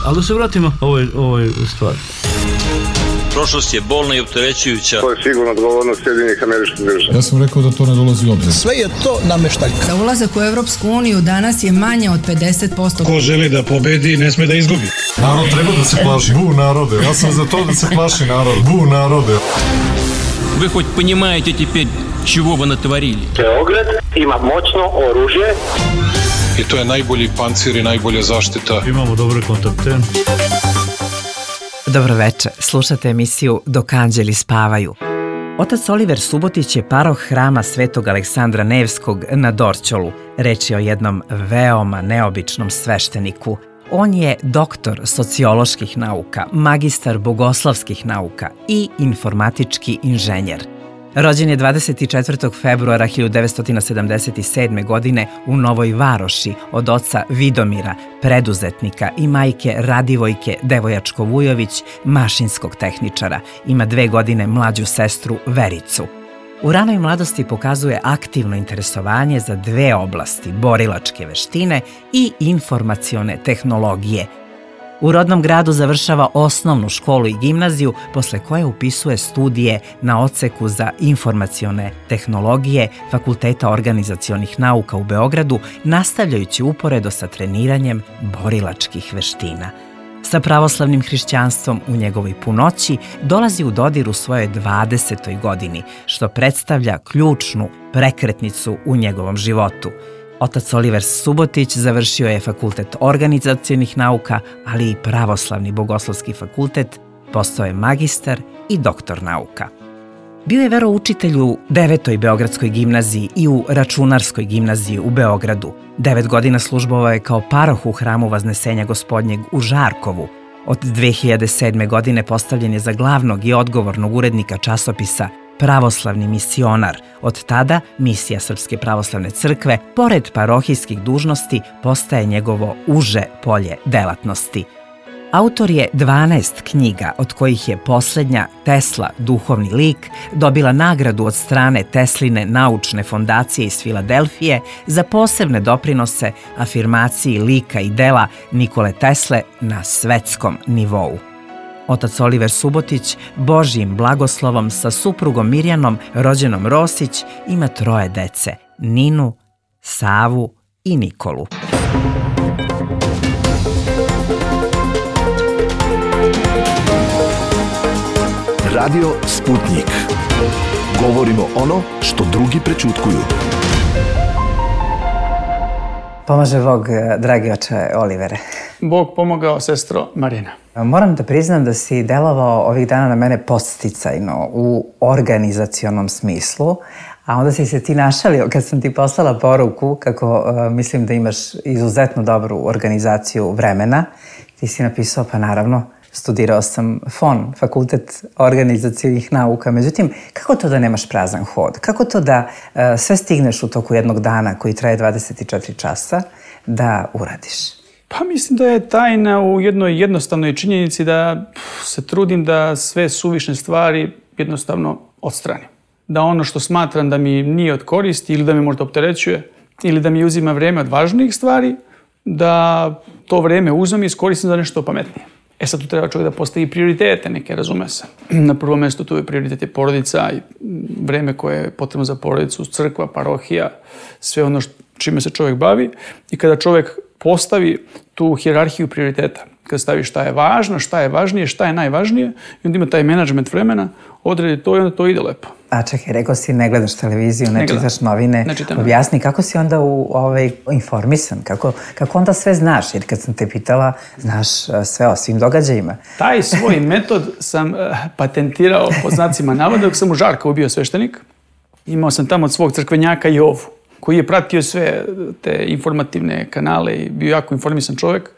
Ali da se vratimo ovoj stvari. Prošlost je bolna i opterećujuća. To je sigurno odgovornost Sjedinjenih Američkih Država. Ja sam rekao da to ne dolazi u obzir. Sve je to nameštaljka. Da ulazak u Evropsku uniju danas je manje od 50%. Ko želi da pobedi, ne sme da izgubi. Narod treba da se plaši. Bu narode. Ja sam za to da se plaši narod. Bu narode. Вы хоть понимаете теперь, чего вы натворили? Beograd ima moćno oružje. I to je najbolji pancir i najbolja zaštita. Imamo dobre kontakte. Dobro večer, slušate emisiju Dok anđeli spavaju. Otac Oliver Subotić je paroh hrama Svetog Aleksandra Nevskog na Dorćolu. Reč je o jednom veoma neobičnom svešteniku. On je doktor socioloških nauka, magistar bogoslovskih nauka i informatički inženjer. Rođen je 24. februara 1977. godine u Novoj Varoši od oca Vidomira, preduzetnika, i majke Radivojke Devojačko-Vujović, mašinskog tehničara. Ima 2 godine mlađu sestru Vericu. U ranoj mladosti pokazuje aktivno interesovanje za 2 oblasti, borilačke veštine i informacione tehnologije. U rodnom gradu završava osnovnu školu i gimnaziju, posle koje upisuje studije na odseku za informacione tehnologije Fakulteta organizacionih nauka u Beogradu, nastavljajući uporedo sa treniranjem borilačkih veština. Sa pravoslavnim hrišćanstvom u njegovoj punoći dolazi u dodir u svojoj 20. godini, što predstavlja ključnu prekretnicu u njegovom životu. Otac Oliver Subotić završio je Fakultet organizacionih nauka, ali i Pravoslavni bogoslovski fakultet, postao je magistar i doktor nauka. Bio je veroučitelj u 9. Beogradskoj gimnaziji i u Računarskoj gimnaziji u Beogradu. 9 godina službovao je kao paroh u hramu Vaznesenja Gospodnjeg u Žarkovu. Od 2007. godine postavljen je za glavnog i odgovornog urednika časopisa Pravoslavni misionar. Od tada misija Srpske pravoslavne crkve, pored parohijskih dužnosti, postaje njegovo uže polje delatnosti. Autor je 12 knjiga, od kojih je poslednja, Tesla, duhovni lik, dobila nagradu od strane Tesline naučne fondacije iz Filadelfije za posebne doprinose afirmaciji lika i dela Nikole Tesle na svetskom nivou. Otac Oliver Subotić, Božjim blagoslovom sa suprugom Mirjanom, rođenom Rosić, ima 3 dece, Ninu, Savu i Nikolu. Radio Sputnik. Govorimo ono što drugi prećutkuju. Pomaže Bog, dragi oče Olivere. Bog pomogao, sestro Marina. Moram da priznam da si delovao ovih dana na mene podsticajno u organizacionom smislu, a onda si se ti našalio kad sam ti poslala poruku kako mislim da imaš izuzetno dobru organizaciju vremena. Ti si napisao, pa naravno, studirao sam FON, Fakultet organizacionih nauka. Međutim, kako to da nemaš prazan hod? Kako to da sve stigneš u toku jednog dana koji traje 24 časa da uradiš? Pa mislim da je tajna u jednoj jednostavnoj činjenici da se trudim da sve suvišne stvari jednostavno odstranim. Da ono što smatram da mi nije od koristi ili da me možda opterećuje ili da mi uzima vreme od važnijih stvari, da to vreme uzmem i iskoristim za nešto pametnije. Sad tu treba čovjek da postavi prioritete neke, razume se. Na prvom mjestu tu je prioritet je porodica i vreme koje je potrebno za porodicu, crkva, parohija, sve ono čime se čovjek bavi. I kada čovjek postavi tu hijerarhiju prioriteta, kada stavi šta je važno, šta je važnije, šta je najvažnije, i onda ima taj menadžment vremena, odredi to i onda to ide lepo. A čekaj, rekao si ne gledaš televiziju, ne čitaš novine. Objasni kako si onda informisan, kako onda sve znaš, jer kad sam te pitala, znaš sve o svim događajima. Taj svoj metod sam patentirao po znacima navoda dok sam u Žarkovu bio sveštenik. Imao sam tamo od svog crkvenjaka Jovu, koji je pratio sve te informativne kanale i bio jako informisan čovjek.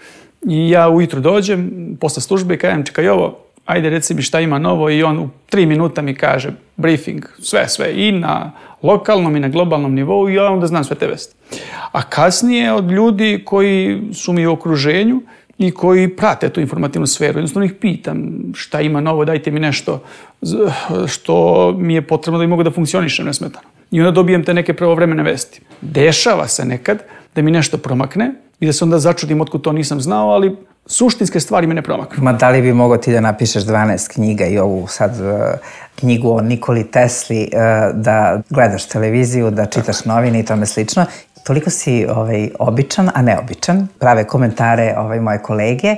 I ja ujutru dođem, posle službe i kažem, čekaj Jovo, ajde reci mi šta ima novo, i on u 3 minuta mi kaže briefing, sve i na lokalnom i na globalnom nivou, i ja onda znam sve te vesti. A kasnije od ljudi koji su mi u okruženju i koji prate tu informativnu sferu, jednostavno ih pitam šta ima novo, dajte mi nešto što mi je potrebno da bi mogu da funkcionišem nesmetano. I onda dobijem te neke pravovremene vesti. Dešava se nekad da mi nešto promakne i da se onda začudim otkud to nisam znao, ali suštinske stvari me ne promaknu. Ma da li bi mogao ti da napišeš 12 knjiga i ovu sad knjigu o Nikoli Tesli, da gledaš televiziju, da čitaš novine i tome slično. Toliko si običan, a neobičan. Prave komentare moje kolege,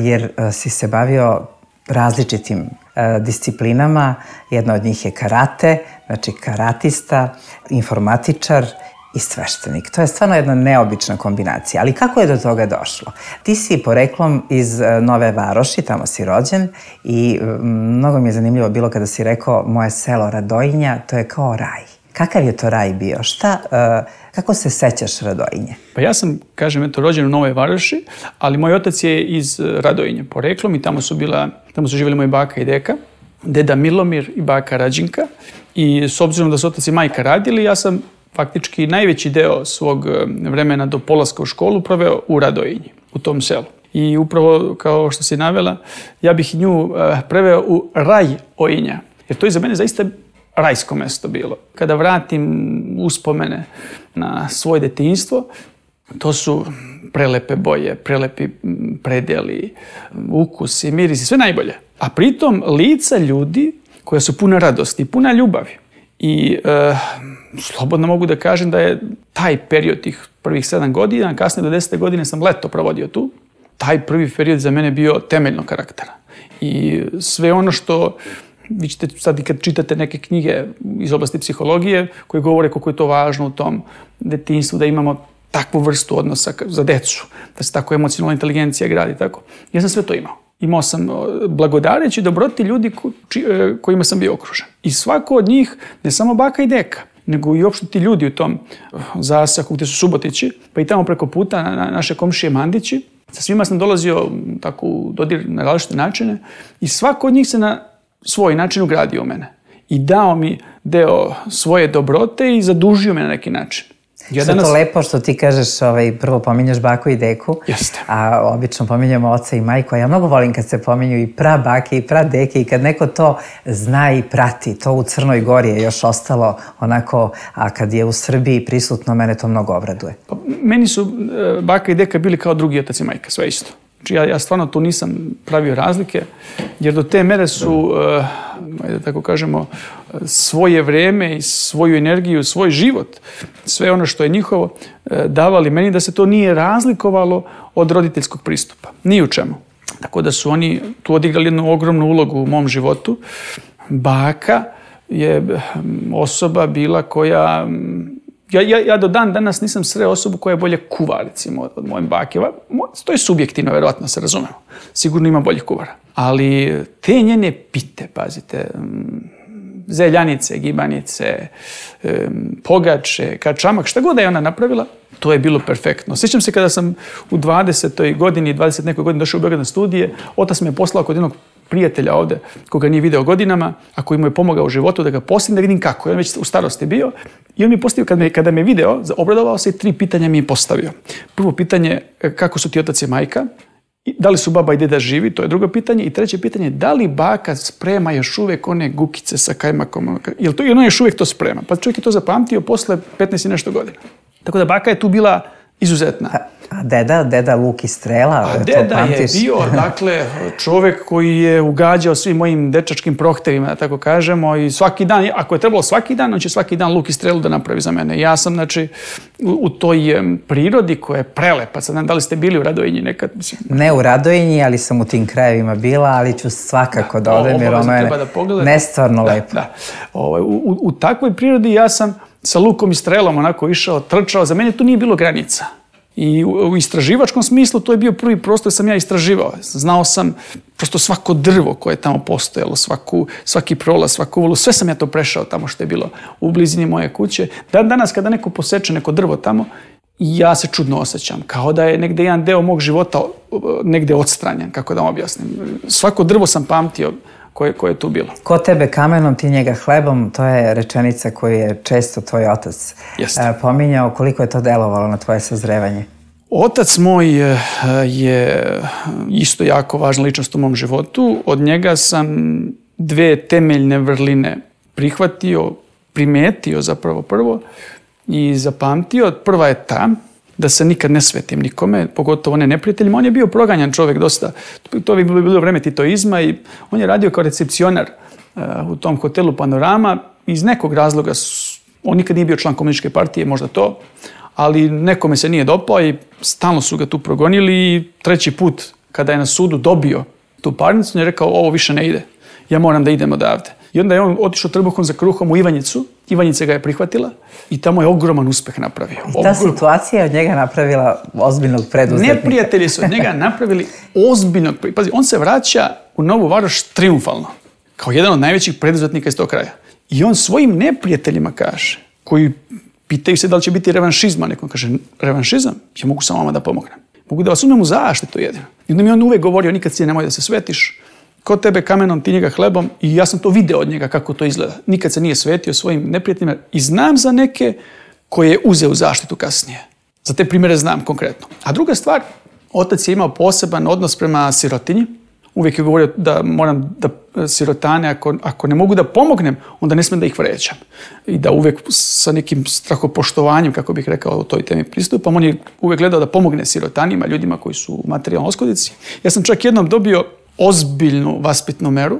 jer si se bavio različitim disciplinama. Jedna od njih je karate, znači karatista, informatičar i sveštenik. To je stvarno jedna neobična kombinacija. Ali kako je do toga došlo? Ti si poreklom iz Nove Varoši, tamo si rođen i mnogo mi je zanimljivo bilo kada si rekao moje selo Radojinja, to je kao raj. Kakav je to raj bio? Kako se sećaš Radojinje? Pa ja sam, rođen u Novoj Varoši, ali moj otac je iz Radojinja poreklom i tamo su živjeli moji baka i deka, deda Milomir i baka Rađinka. I s obzirom da su otac i majka radili, ja sam faktički najveći deo svog vremena do polaska u školu proveo u Radojinji, u tom selu. I upravo, kao što si navela, ja bih nju preveo u Raj-ojinja, jer to je za mene zaista rajsko mesto bilo. Kada vratim uspomene na svoje detinjstvo, to su prelepe boje, prelepi predeli, ukusi, mirisi, sve najbolje. A pritom lica ljudi koja su puna radosti, puna ljubavi. I slobodno mogu da kažem da je taj period tih prvih 7 godina, kasnije do 10. godine sam leto provodio tu. Taj prvi period za mene bio temeljnog karaktera. I sve ono što vi ćete sad i kad čitate neke knjige iz oblasti psihologije koje govore koliko je to važno u tom detinjstvu da imamo takvu vrstu odnosa za decu, da se tako emocionalna inteligencija gradi, tako. Ja sam sve to imao. Imao sam blagodareći dobroti ljudi kojima sam bio okružen. I svako od njih, ne samo baka i deka, nego i uopšte ti ljudi u tom zasaku gdje su Subotići, pa i tamo preko puta naše komšije Mandići. Sa svima sam dolazio tako u dodir na različite načine i svako od njih se na svoj način ugradio u mene. I dao mi deo svoje dobrote i zadužio me na neki način. Što je to lepo što ti kažeš, prvo pominješ baku i deku, Jeste. A obično pominjemo oca i majku, a ja mnogo volim kad se pominju i prabake i pradeke i kad neko to zna i prati, to u Crnoj Gori je još ostalo onako, a kad je u Srbiji prisutno, mene to mnogo obraduje. Pa, meni su baka i deka bili kao drugi otac i majka, sve isto. Znači ja stvarno tu nisam pravio razlike, jer do te mere su, da tako kažemo, svoje vreme i svoju energiju, svoj život, sve ono što je njihovo, davali meni da se to nije razlikovalo od roditeljskog pristupa. Ni u čemu. Tako da su oni tu odigrali jednu ogromnu ulogu u mom životu. Baka je osoba bila koja... Ja do dan danas nisam sreo osobu koja je bolje kuva, recimo, od moje bake. To je subjektivno, verovatno se razumemo. Sigurno ima boljih kuvara. Ali te njene pite, pazite, zeljanice, gibanice, pogače, kačamak, šta god da je ona napravila, to je bilo perfektno. Sjećam se kada sam u 20. godini, 20 nekoj godini došao u Beograd na studije, otac me je poslao kod jednog prijatelja ovde, koga nije video godinama, a koji mu je pomogao u životu da ga postim, da vidim kako. On već u starosti bio. I on mi je postavio, kada me video, obradovao se i 3 pitanja mi je postavio. Prvo pitanje, kako su ti otac i majka? Da li su baba i deda živi? To je drugo pitanje. I treće pitanje, da li baka sprema još uvijek one gukice sa kajmakom? Jel to i ona još uvijek to sprema? Pa čovjek je to zapamtio posle 15 i nešto godina. Tako da baka je tu bila izuzetna. A deda luk i strela? A deda je bio, dakle, čovjek koji je ugađao svim mojim dečačkim prohtevima, da tako kažemo, i svaki dan, ako je trebalo svaki dan, on će svaki dan luk i strelu da napravi za mene. Ja sam, znači, u toj prirodi koja je prelepa. Sad, da li ste bili u Radojinji nekad? Mislim, ne u Radojinji, ali sam u tim krajevima bila, ali ću svakako da odem, jer ono je nestvarno lepo. Da. U takvoj prirodi ja sam sa lukom i strelom onako išao, trčao. Za mene tu nije bilo granica. I u istraživačkom smislu to je bio prvi prostor sam ja istraživao. Znao sam prosto svako drvo koje je tamo postojalo, svaki prolaz, svaku uvolu, sve sam ja to prešao tamo što je bilo u blizini moje kuće. Danas kada neko poseče neko drvo tamo, ja se čudno osjećam, kao da je negde jedan deo mog života negde odstranjen, kako da vam objasnim. Svako drvo sam pamtio koje je tu bilo. Ko tebe kamenom, ti njega hlebom, to je rečenica koju je često tvoj otac pominjao. Koliko je to delovalo na tvoje sazrevanje? Otac moj je isto jako važna ličnost u mom životu. Od njega sam 2 temeljne vrline prihvatio, primetio zapravo prvo i zapamtio. Prva je ta da se nikad ne svetim nikome, pogotovo ne neprijateljima. On je bio proganjan čovjek dosta. To je bilo vreme titoizma i on je radio kao recepcionar u tom hotelu Panorama. Iz nekog razloga, on nikad nije bio član komunističke partije, možda to, ali nekome se nije dopao i stalno su ga tu progonili i treći put kada je na sudu dobio tu parnicu, on je rekao ovo više ne ide, ja moram da idem odavde. I onda je on otišao trbuhom za kruhom u Ivanjicu, Ivanjica ga je prihvatila i tamo je ogroman uspeh napravio. I ta situacija od njega napravila ozbiljnog preduzetnika. Neprijatelji su od njega napravili ozbiljnog, pazi, on se vraća u Novu Varoš triumfalno, kao jedan od najvećih preduzetnika iz tog kraja. I on svojim neprijateljima kaže, koji pitaju se da li će biti revanšizma, neko kaže, revanšizam? Ja mogu samo vama da pomognem. Mogu da vas uzmem u zaštitu jedino. I onda mi on uvek govorio, nikad si nemoj da se svetiš, ko tebe kamenom, ti njega hlebom, i ja sam to video od njega kako to izgleda. Nikad se nije svetio svojim neprijateljima i znam za neke koje je uzeo u zaštitu kasnije. Za te primjere znam konkretno. A druga stvar, otac je imao poseban odnos prema sirotinji. Uvijek je govorio da moram da sirotane, ako ne mogu da pomognem, onda ne smem da ih vređam. I da uvijek sa nekim strahopoštovanjem, kako bih rekao, o toj temi pristupam. On je uvijek gledao da pomogne sirotanima, ljudima koji su u materijalnoj oskodici. Ja sam čak jednom dobio ozbiljnu vaspitnu meru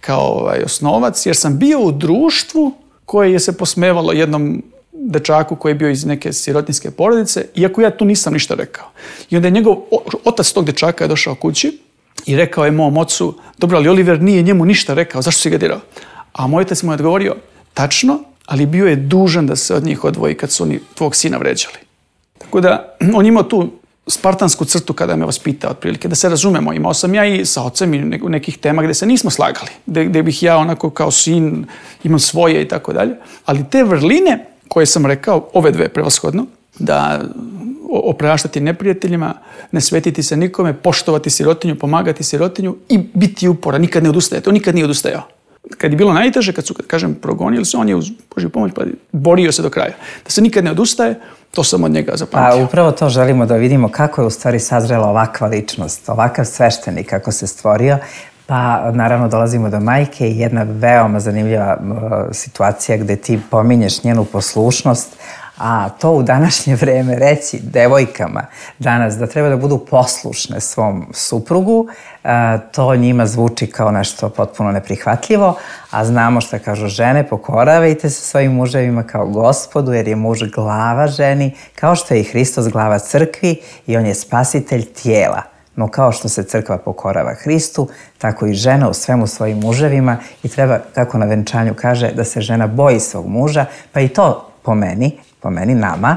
kao osnovac, jer sam bio u društvu koje je se posmevalo jednom dečaku koji je bio iz neke sirotinjske porodice, iako ja tu nisam ništa rekao. I onda je njegov otac tog dečaka je došao kući i rekao je mom ocu, dobro, ali Oliver nije njemu ništa rekao, zašto si ga dirao? A moj otac mu je odgovorio, tačno, ali bio je dužan da se od njih odvoji kad su oni tvog sina vređali. Tako da, on imao tu spartansku crtu kada me vaspitao otprilike, da se razumemo. Imao sam ja i sa ocem i nekih tema gdje se nismo slagali, gdje bih ja onako kao sin imam svoje i tako dalje. Ali te vrline koje sam rekao, ove dve prevashodno, da opraštati neprijateljima, ne svetiti se nikome, poštovati sirotinju, pomagati sirotinju i biti uporan, nikad ne odustajati. On nikad nije odustajao. Kad je bilo najteže, kad su, kažem, progonili se, on je uz Božju pomoć pa borio se do kraja. Da se nikad ne odustaje, to sam od njega zapamtio. A upravo to želimo da vidimo kako je u stvari sazrela ovakva ličnost, ovakav sveštenik kako se stvorio. Pa naravno dolazimo do majke i jedna veoma zanimljiva situacija gde ti pominješ njenu poslušnost, a to u današnje vreme reći devojkama danas da treba da budu poslušne svom suprugu, to njima zvuči kao nešto potpuno neprihvatljivo, a znamo šta kažu žene, pokoravajte se svojim muževima kao Gospodu, jer je muž glava ženi, kao što je i Hristos glava crkvi i on je spasitelj tijela. No kao što se crkva pokorava Hristu, tako i žena u svemu svojim muževima i treba, kako na venčanju kaže, da se žena boji svog muža, pa i to po meni, nama,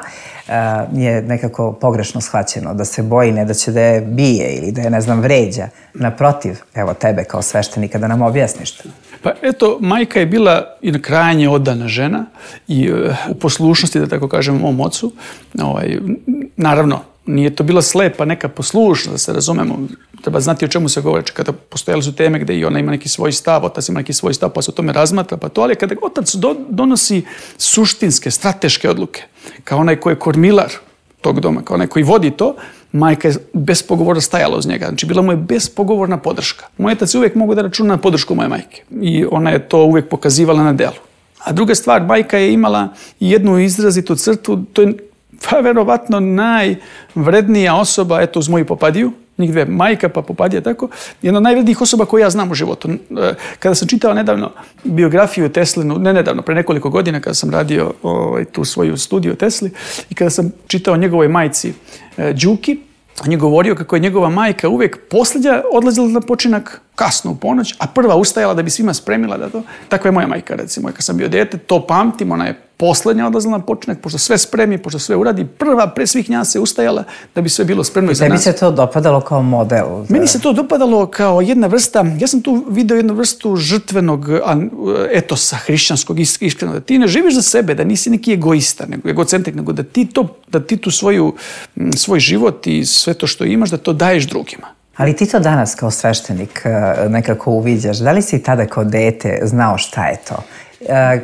je nekako pogrešno shvaćeno, da se boji ne da će da je bije ili da je, ne znam, vređa. Naprotiv, evo tebe kao sveštenika da nam objasniš to. Pa eto, majka je bila i krajnje odana žena i u poslušnosti, da tako kažem, mom ocu. Naravno, nije to bila slepa neka poslušnost, da se razumemo. Treba znati o čemu se govori. Kada postojali su teme gde i ona ima neki svoj stav, otac ima neki svoj stav, pa se o tome razmatra, pa to, ali kada otac donosi suštinske, strateške odluke, kao onaj koji je kormilar tog doma, kao onaj koji vodi to, majka je bespogovorno stajala uz njega. Znači, bila mu je bespogovorna podrška. Moj otac uvijek mogu da računa na podršku moje majke. I ona je to uvijek pokazivala na delu. A druga stvar, majka je imala jednu izrazitu crtu, to je verovatno najvrednija osoba, eto, uz moju Popadiju, njih dve, majka pa Popadija, tako, jedna od najvrednijih osoba koju ja znam u životu. Kada sam čitao nedavno biografiju Teslinu, ne nedavno, pre nekoliko godina, kada sam radio tu svoju studiju Tesli, i kada sam čitao njegovoj majci Đuki, on je govorio kako je njegova majka uvijek posljednja odlazila na počinak kasno u ponoć, a prva ustajala da bi svima spremila da to. Tako je moja majka, recimo. Kad sam bio dete, to pamtim, ona je posljednja odlazila na počinak, pošto sve spremi, pošto sve uradi, prva pre svih nja se ustajala da bi sve bilo spremno i za nas. Tebi se to dopadalo kao model? Meni se to dopadalo kao jedna vrsta, ja sam tu video jednu vrstu žrtvenog etosa hrišćanskog, iskreno, da ti ne živiš za sebe, da nisi neki egoista, nego egocentrik, nego da ti tu svoj život i sve to što imaš, da to daješ drugima. Ali ti to danas kao sveštenik nekako uviđaš. Da li si tada kao dete znao šta je to?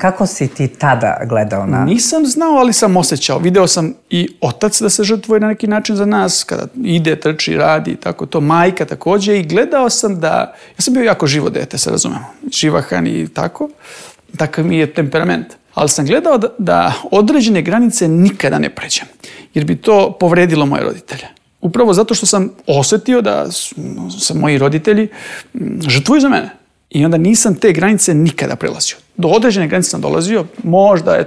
Kako si ti tada gledao na... Nisam znao, ali sam osjećao. Video sam i otac da se žrtvuje na neki način za nas, kada ide, trči, radi i tako to. Majka također. I gledao sam da... Ja sam bio jako živo dete, se razumemo. Živahan i tako. Takav mi je temperament. ali sam gledao da određene granice nikada ne pređem, jer bi to povredilo moje roditelje. Upravo zato što sam osjetio da su moji roditelji žrtvuju za mene. I onda nisam te granice nikada prelazio. Do određene granice sam dolazio, možda,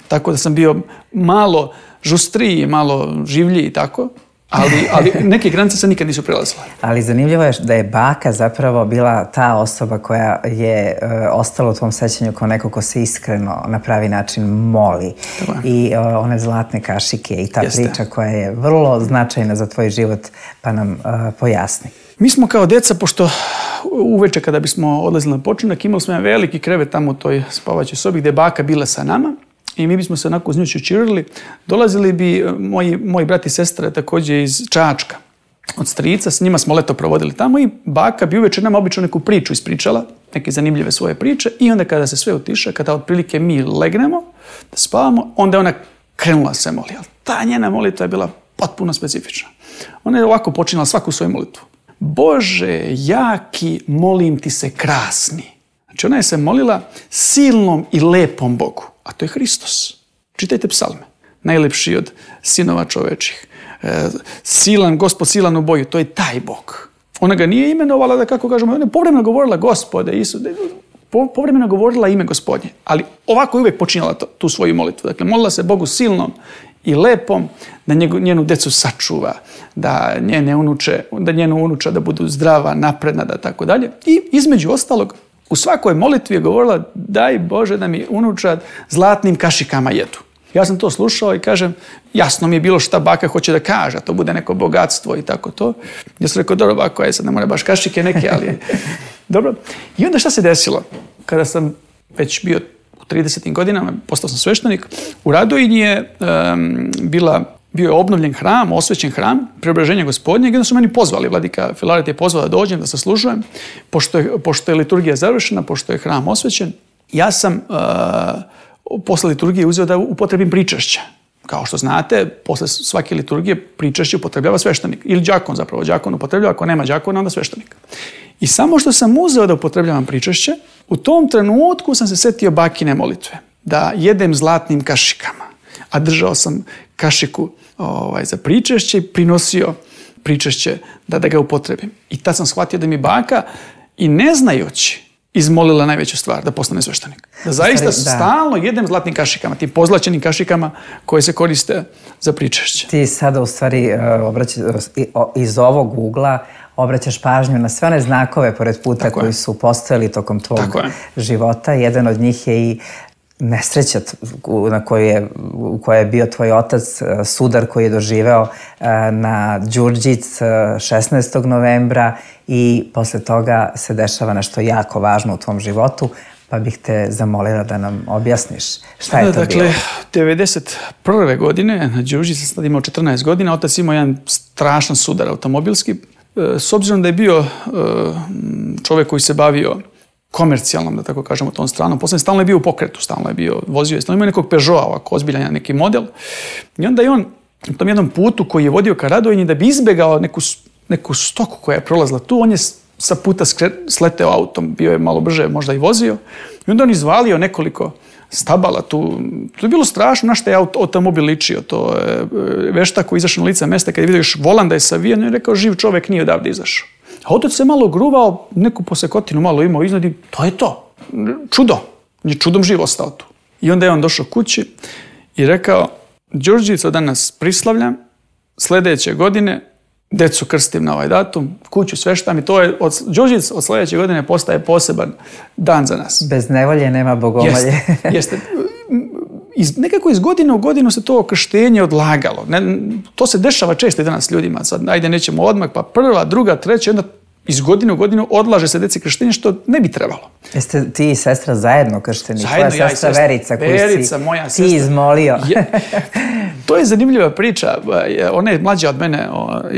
tako da sam bio malo žustriji, malo življiji i tako, ali neke granice se nikad nisu prelazile. Ali zanimljivo je da je baka zapravo bila ta osoba koja je ostala u tvom sećanju kao neko ko se iskreno na pravi način moli. I one zlatne kašike i ta priča koja je vrlo značajna za tvoj život, pa nam pojasni. Mi smo kao deca, pošto uveče kada bismo odlazili na počinak, imali smo jedan veliki krevet tamo u toj spavaćoj sobi gdje je baka bila sa nama i mi bismo se onako uz nju čučirili. Dolazili bi moji brat i sestra također iz Čačka, od strica, s njima smo leto provodili tamo i baka bi uveče nama obično neku priču ispričala, neke zanimljive svoje priče i onda kada se sve utiša, kada otprilike mi legnemo da spavamo, onda je ona krenula se moli. Ali ta njena molitva je bila potpuno specifična. Ona je ovako počinjala svaku svoju molitvu. Bože, jaki, molim ti se krasni. Znači ona je se molila silnom i lepom Bogu, a to je Hristos. Čitajte psalme. Najlepši od sinova čovečih. Silan, Gospod silan u boju, to je taj Bog. Ona ga nije imenovala, da kako kažemo, ona je povremeno govorila Gospode, Isus, povremeno govorila ime Gospodnje, ali ovako je uvijek počinjala tu svoju molitvu. Dakle, molila se Bogu silnom i lepom, da njenu decu sačuva, da njenu unuča da budu zdrava, napredna, da tako dalje. I između ostalog, u svakoj molitvi je govorila, daj Bože da mi unučad zlatnim kašikama jedu. Ja sam to slušao i kažem, jasno mi je bilo šta baka hoće da kaže, to bude neko bogatstvo i tako to. Ja sam rekao, dobro bako, sad ne mora baš kašike neke, ali dobro. I onda šta se desilo? Kada sam već bio u 30. godinama, postao sam sveštenik, u Radojinji je bio je obnovljen hram, osvećen hram, Preobraženja Gospodnjeg, i onda su meni pozvali, vladika Filaret je pozvao da dođem, da saslužujem, pošto je liturgija završena, pošto je hram osvećen. Ja sam posle liturgije uzeo da upotrebim pričašće. Kao što znate, posle svake liturgije pričašće upotrebljava sveštenik. Ili đakon zapravo, đakon upotrebljava, ako nema đakona, onda sveštenik. I samo što sam uzeo da upotrebljavam pričašće, u tom trenutku sam se setio bakine molitve. Da jedem zlatnim kašikama. A držao sam kašiku za pričašće i prinosio pričašće da ga upotrebim. I tad sam shvatio da mi baka, i ne znajući, izmolila najveću stvar, da postane sveštenik. Da zaista stalno jedem zlatnim kašikama, tim pozlaćenim kašikama koje se koriste za pričašće. Ti sada u stvari iz ovog ugla obraćaš pažnju na sve one znakove pored puta koji su postojali tokom tvog života. Jedan od njih je i nesreća u kojoj je bio tvoj otac, sudar koji je doživeo na Đurđic 16. novembra i posle toga se dešava nešto jako važno u tvom životu, pa bih te zamolila da nam objasniš šta je to bilo. Dakle, 1991. godine, na Đurđic sam sad imao 14 godina, otac imao jedan strašan sudar automobilski. S obzirom da je bio čovjek koji se bavio komercijalnom, da tako kažemo, tom stranom. Poslednje stalno je bio u pokretu, stalno je bio, vozio je, stalno imao nekog Peugeota, ovako ozbiljan neki model. I onda je on u tom jednom putu koji je vodio ka Radojinji, da bi izbegao neku stoku koja je prolazila tu, on je sa puta sleteo autom, bio je malo brže, možda i vozio. I onda on izvalio nekoliko stabala tu. To je bilo strašno, na što je automobil ličio. To je veštak koji izašao na lice mesta, kad je vidio još volan da je savijen, je rekao, živ čovek nije odavde izašao. A otac se malo gruvao, neku posekotinu malo imao iznad i to je to. Čudo. Je čudom živ ostao tu. I onda je on došao kući i rekao, Đurđicu danas prislavljam, sljedeće godine decu krstim na ovaj datum, kuću sveštam i to je, Đurđic od sljedeće godine postaje poseban dan za nas. Bez nevolje nema bogomalje. Jeste. Nekako iz godine u godinu se to krštenje odlagalo. To se dešava često i danas ljudima. Sad, ajde, nećemo odmah, pa prva, druga, treća, onda iz godine u godinu odlaže se deci krštenje, što ne bi trebalo. Jeste ti i sestra zajedno kršteni? Zajedno, tvoja sestra Verica, koju Verica, si moja ti sestra. izmolio. To je zanimljiva priča. Ona je mlađa od mene, ona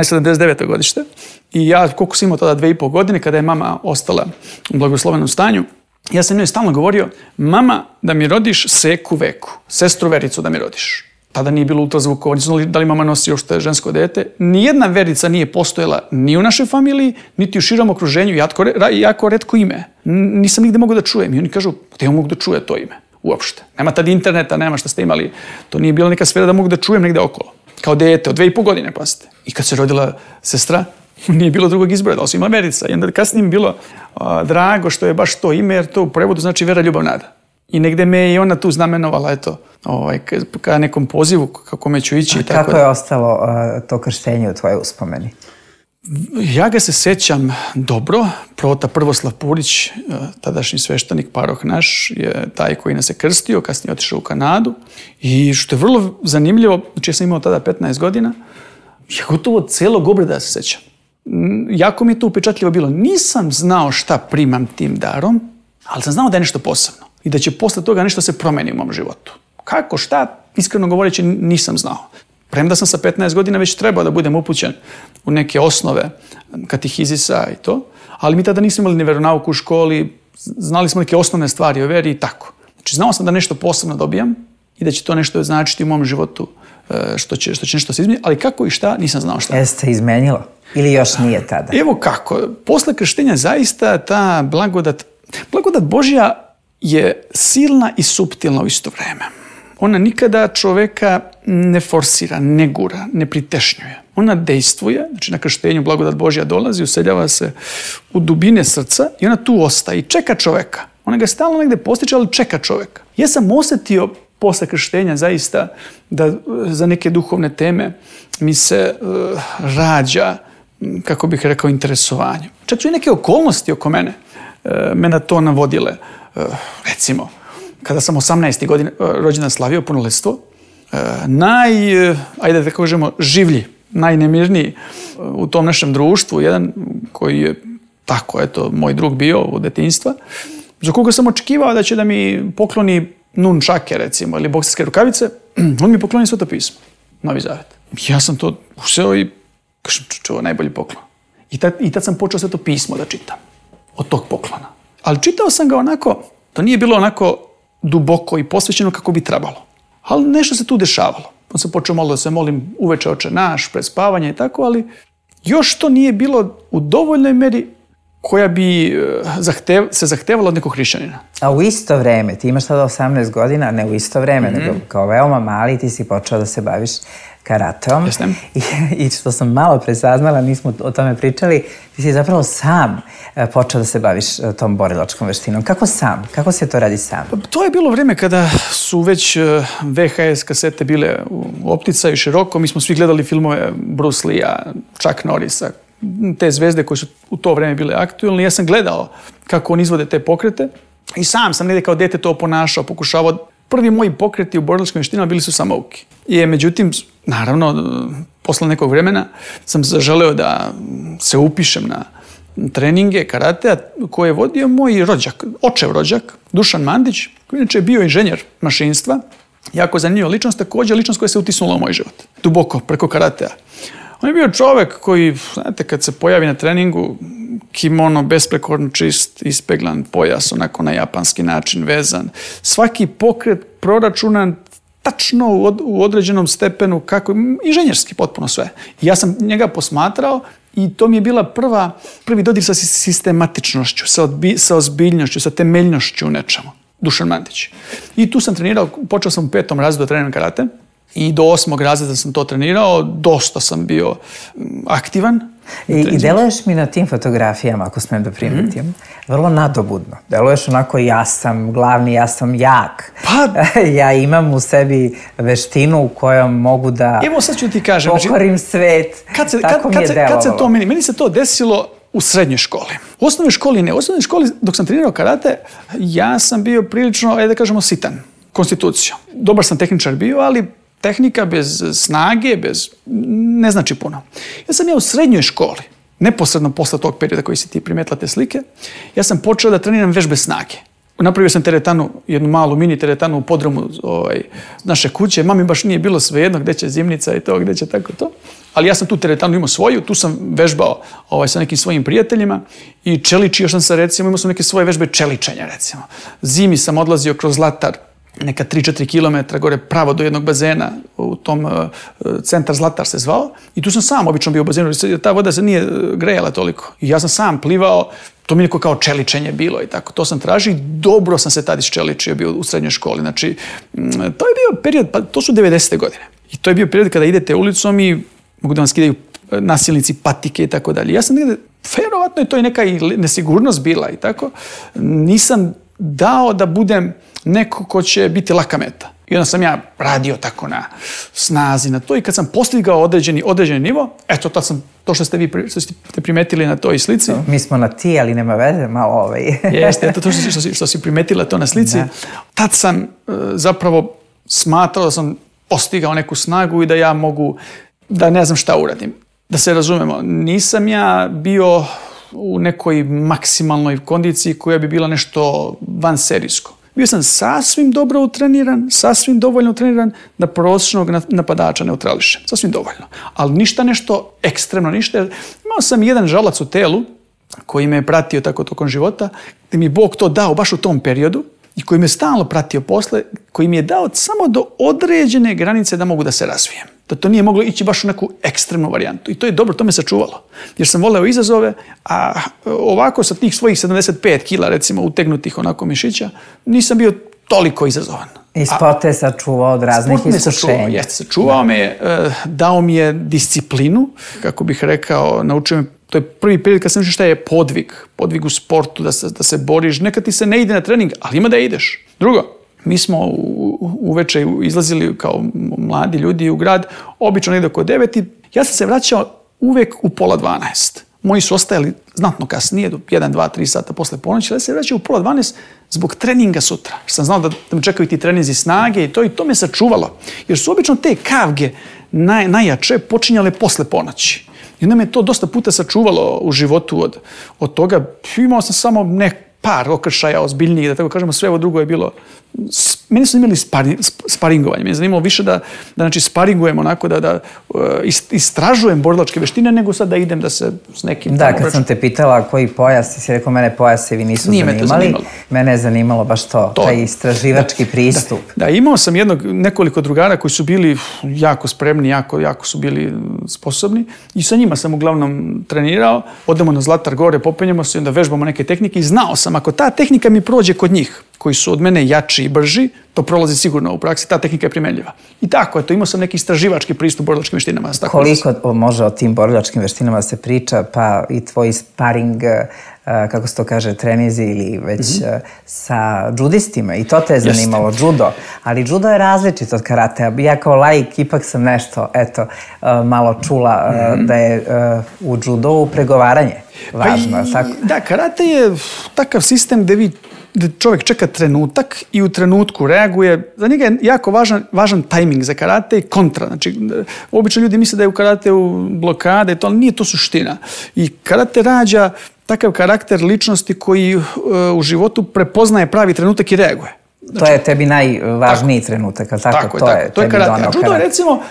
je 79. godište. I ja, koliko sam imao tada 2,5 godine, kada je mama ostala u blagoslovenom stanju, ja sam njoj stalno govorio, mama, da mi rodiš Seku Veku, sestru Vericu da mi rodiš. Tada nije bilo ultrazvukova, nisu znali da li mama nosi uopšte žensko dete. Nijedna Verica nije postojala ni u našoj familiji, niti u širom okruženju, jako retko ime. Nisam nigde mogao da čujem. I oni kažu, gde mogu da čuje to ime? uopšte. Nema tad interneta, nema šta ste imali. To nije bila neka sfera da mogu da čujem negde okolo. Kao dete, od 2,5 godine, pasite. I kad se rodila sestra, nije bilo drugog izbora, osim America. I onda kasnije mi bilo drago što je baš to ime, jer to u prevodu znači vera, ljubav, nada. I negde me je i ona tu znamenovala, eto, ka nekom pozivu, kako me ću ići. A kako je ostalo to krštenje u tvojoj uspomeni? Ja ga se sećam dobro. Prota Prvoslav Purić, tadašnji sveštenik, paroh naš, je taj koji nas je krstio, kasnije otišao u Kanadu. I što je vrlo zanimljivo, znači ja sam imao tada 15 godina, ja gotovo celog obreda se sećam. Jako mi je to upečatljivo bilo. Nisam znao šta primam tim darom, ali sam znao da je nešto posebno i da će posle toga nešto se promeni u mom životu. Kako, šta, iskreno govoreći, nisam znao. Premda sam sa 15 godina već trebao da budem upućen u neke osnove katehizisa i to, ali mi tada nismo imali ni veronauku u školi, znali smo neke osnovne stvari o veri i tako. Znači, znao sam da nešto posebno dobijam i da će to nešto značiti u mom životu, što će nešto se izmeniti, ali kako i šta, nisam znao šta. Jeste izmenilo? Ili još nije tada? Evo kako. Posle krštenja zaista ta blagodat Božja je silna i suptilna u isto vreme. Ona nikada čoveka ne forsira, ne gura, ne pritešnjuje. Ona dejstvuje, znači na krštenju blagodat Božja dolazi, useljava se u dubine srca i ona tu ostaje i čeka čoveka. Ona ga stalno negde postiče, ali čeka čoveka. Ja sam osetio posle krštenja zaista da za neke duhovne teme mi se rađa, kako bih rekao, interesovanje. Čak su i neke okolnosti oko mene na to navodile. Recimo, kada sam 18. godine rođendan slavio punoletstvo, ajde da kažemo, življi, najnemirniji u tom našem društvu, jedan koji je tako, eto, moj drug bio od detinjstva, za koga sam očekivao da će da mi pokloni nunčake, recimo, ili bokserske rukavice, on mi pokloni Sveto pismo, Novi Zavet. Ja sam to useo i kažem, ovo je najbolji poklon. I tad sam počeo Sveto pismo da čitam od tog poklona. Ali čitao sam ga onako, to nije bilo onako duboko i posvećeno kako bi trebalo. Ali nešto se tu dešavalo. On sam počeo malo da se molim uveče Oče naš, pred spavanje i tako, ali još to nije bilo u dovoljnoj meri koja bi se zahtevala od nekog hrišćanina. A u isto vreme, ti imaš tada 18 godina, ne u isto vreme, nego kao veoma mali ti si počeo da se baviš karateom. Jeste. I što sam malo presaznala, nismo o tome pričali, ti si zapravo sam počeo da se baviš tom borilačkom veštinom. Kako sam? Kako se to radi sam? To je bilo vreme kada su već VHS kasete bile u opticaju široko. Mi smo svi gledali filmove Bruce Lee-a, Chuck Norrisa, te zvezde koje su u to vreme bile aktuelne. Ja sam gledao kako oni izvode te pokrete i sam negde kao dete to ponašao, pokušavao. Prvi moji pokreti u borilačkim veštinama bili su samouki. Međutim, naravno, posle nekog vremena sam zaželeo da se upišem na treninge karatea koje je vodio moj rođak, očev rođak, Dušan Mandić, koji inače je bio inženjer mašinstva. Jako zanimljiva ličnost, također ličnost koja se utisnula u moj život. Duboko, preko karatea. On je bio čovek koji, znate, kad se pojavi na treningu, kimono besprekorno čist, ispeglan pojas, onako na japanski način vezan. Svaki pokret proračunan tačno u određenom stepenu, kako, inženjerski potpuno sve. I ja sam njega posmatrao i to mi je bila prvi dodir sa sistematičnošću, sa ozbiljnošću, sa temeljnošću u nečemu. Dušan Mandić. I tu sam trenirao, počeo sam u 5. razredu da treniram karate. I do 8. razreda sam to trenirao, dosta sam bio aktivan. I deluješ mi na tim fotografijama, ako smem da primetim, vrlo nadobudno. Deluješ onako, ja sam glavni, ja sam jak. Ja imam u sebi veštinu u kojom mogu da pokorim svet. Tako mi je delovalo. Kad se to meni se to desilo u srednjoj školi. U osnovnoj školi ne. U osnovnoj školi, dok sam trenirao karate, ja sam bio prilično, ajde da kažemo, sitan konstitucijom. Dobar sam tehničar bio, ali tehnika bez snage, ne znači puno. Ja sam u srednjoj školi, neposredno posle tog perioda koji si ti primetila te slike, ja sam počeo da treniram vežbe snage. Napravio sam teretanu, jednu malu mini teretanu u podrumu naše kuće. Mami baš nije bilo svejedno gde će zimnica i to, gde će tako to. Ali ja sam tu teretanu imao svoju, tu sam vežbao sa nekim svojim prijateljima i čeličio sam se, recimo, imao sam neke svoje vežbe čeličenja, recimo. Zimi sam odlazio kroz Zlatar, neka 3-4 kilometra gore pravo do jednog bazena, u tom centar Zlatar se zvao. I tu sam sam obično bio u bazenu, ta voda se nije grejala toliko. I ja sam sam plivao To mi je neko kao čeličenje bilo i tako. To sam tražio i dobro sam se tad isčeličio bio u srednjoj školi. Znači, to je bio period, pa to su 90. godine. I to je bio period kada idete ulicom i mogu da vam skidaju nasilnici, patike i tako dalje. Ja sam negdje, verovatno je to i neka nesigurnost bila i tako. Nisam dao da budem neko ko će biti laka meta. I onda sam ja radio tako na snazi, na to i kad sam postigao određeni nivo, eto to što ste vi primetili na toj slici. Mi smo na ti, ali nema veze, malo Jeste, eto to što si primetila to na slici. Da. Tad sam zapravo smatrao da sam postigao neku snagu i da ja mogu, da ne znam šta uradim. Da se razumemo, nisam ja bio u nekoj maksimalnoj kondiciji koja bi bila nešto vanserijsko. Bio sam sasvim dobro utreniran, sasvim dovoljno utreniran da prosječnog napadača neutrališem. Sasvim dovoljno. Ali ništa nešto ekstremno, ništa. Imao sam jedan žalac u telu koji me je pratio tako tokom života, gdje mi je Bog to dao baš u tom periodu i koji me stalno pratio posle, koji mi je dao samo do određene granice da mogu da se razvijem. Da to nije moglo ići baš u neku ekstremnu varijantu. I to je dobro, to me sačuvalo. Jer sam voleo izazove, a ovako sa tih svojih 75 kila, recimo, utegnutih onako mišića, nisam bio toliko izazovan. I sport te sačuvao od raznih iskušenja. Jeste, sačuvao me je, dao mi je disciplinu, kako bih rekao, naučio me, to je prvi period kad sam naučio šta je podvig u sportu, da se boriš, nekad ti se ne ide na trening, ali ima da ideš. Drugo, mi smo uveče izlazili kao mladi ljudi u grad, obično negdje oko 9 i ja sam se vraćao uvek u 11:30. Moji su ostajali znatno kasnije, do 1, 2, 3 sata posle ponoći, ali ja se vraćao u 11:30 zbog treninga sutra. Što sam znao da me čekaju ti treninzi snage i to me sačuvalo. Jer su obično te kavge najjače počinjale posle ponoći. I onda me to dosta puta sačuvalo u životu od toga. Imao sam samo par okršaja ozbiljnijih, da tako kažemo, sve ovo drugo je bilo... Meni su imali sparingovanje. Meni je zanimalo više da znači, sparingujem onako, da istražujem borilačke veštine, nego sad da idem da se s nekim... Da, kad sam te pitala koji pojas, ti si rekao mene pojasevi nisu zanimali. Mene je zanimalo baš to, taj istraživački pristup. Da, imao sam nekoliko drugara koji su bili jako spremni, jako su bili sposobni i sa njima sam uglavnom trenirao. Odemo na Zlatar gore, popenjemo se i onda vežbamo neke tehnike i znao sam, ako ta tehnika mi prođe kod njih, koji su od mene jači i brži, to prolazi sigurno u praksi, ta tehnika je primenljiva. I tako, eto, imao sam neki istraživački pristup borilačkim veštinama. Koliko može o tim borilačkim veštinama se priča, pa i tvoj sparing, kako se to kaže, trenizi ili već sa džudistima, i to te je zanimalo, judo. Ali judo je različit od karatea. Ja kao laik ipak sam nešto, eto, malo čula da je u judovu pregovaranje važno, tako? Da, karate je takav sistem gde čovjek čeka trenutak i u trenutku reaguje. Za njega je jako važan tajming za karate i kontra. Znači, obično ljudi misle da je u karateu blokade, ali nije to suština. I karate rađa takav karakter ličnosti koji u životu prepoznaje pravi trenutak i reaguje. Znači, to je tebi najvažniji trenutak, ali tako? To je tebi karate. A judo je, recimo,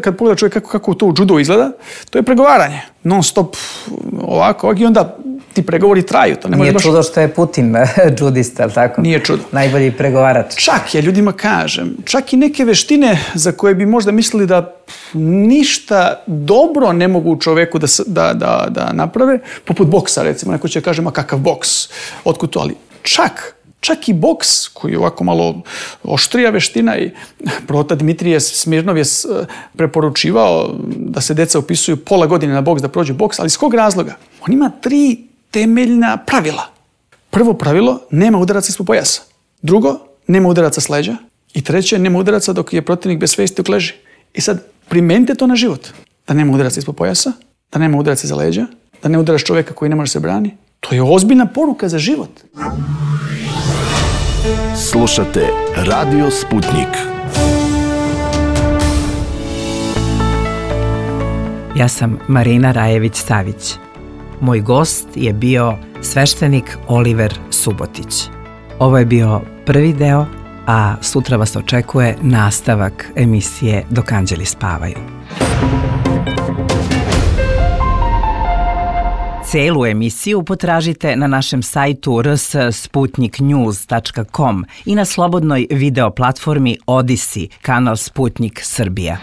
kad pogleda čovjek kako to u judo izgleda, to je pregovaranje. Non stop ovako i onda ti pregovori traju. To nije čudo što je Putin džudista, ali tako? Nije čudo. Najbolji pregovarač. Čak, ja ljudima kažem, čak i neke veštine za koje bi možda mislili da ništa dobro ne mogu čoveku da naprave, poput boksa, recimo. Neko će kaže, ma kakav boks, otkud to, ali čak i boks, koji je ovako malo oštrija veština i prota Dmitrije Smirnov je preporučivao da se deca upisuju pola godine na boks, da prođu boks, ali iz kog razloga? On ima 3 temeljna pravila. Prvo pravilo, nema udaraca ispod pojasa. Drugo, nema udaraca s leđa. I treće, nema udaraca dok je protivnik bez svesti dok leži. I sad, primenite to na život. Da nema udaraca ispod pojasa, da nema udaraca iza leđa, da ne udaraš čovjeka koji ne može se brani. To je ozbiljna poruka za život. Slušate Radio Sputnik. Ja sam Marina Rajević-Savić. Moj gost je bio sveštenik Oliver Subotić. Ovo je bio prvi deo, a sutra vas očekuje nastavak emisije Dok anđeli spavaju. Celu emisiju potražite na našem sajtu rs.sputniknews.com i na slobodnoj video platformi Odisi, kanal Sputnik Srbija.